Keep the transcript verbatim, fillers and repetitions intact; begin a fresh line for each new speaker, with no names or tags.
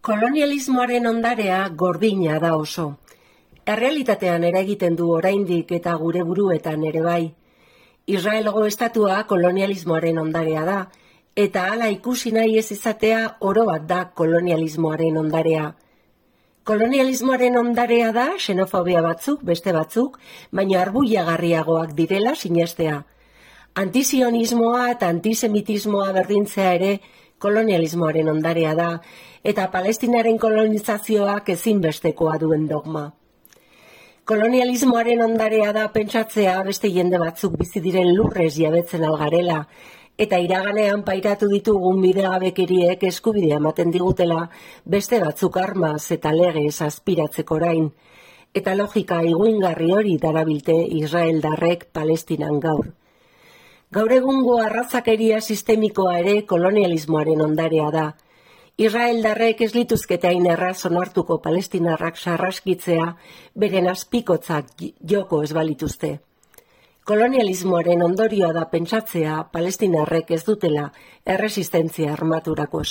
Kolonialismoaren ondarea gordina da oso. Errealitatean eragiten du oraindik eta gure buruetan ere bai. Israelgo estatua kolonialismoaren ondarea da, eta hala ikusi nahi ez izatea oro bat da kolonialismoaren ondarea. Kolonialismoaren ondarea da xenofobia batzuk, beste batzuk, baina arbuiagarriagoak direla sinestea. Antizionismoa eta antisemitismoa berdintzea ere kolonialismoaren ondarea da, eta Palestinaren kolonizazioak ezinbestekoa duen dogma. Kolonialismoaren ondarea da pentsatzea beste jende batzuk bizi diren lurrez jabetzen algarela, eta iraganean pairatu ditugun bidegabekeriek eskubidea ematen digutela beste batzuk armaz eta legez azpiratzeko orain, eta logika iguingarri hori darabilte Israeldarrek Palestinan gaur. Gaur egungo arrazakeria sistemikoa ere kolonialismoaren ondarea da. Israeldarrek ez lituzkete hain erraz onartuko palestinarrak sarraskitzea beren azpikotzak joko ez balituzte. Kolonialismoaren ondorioa da pentsatzea palestinarrek ez dutela erresistentzia armaturako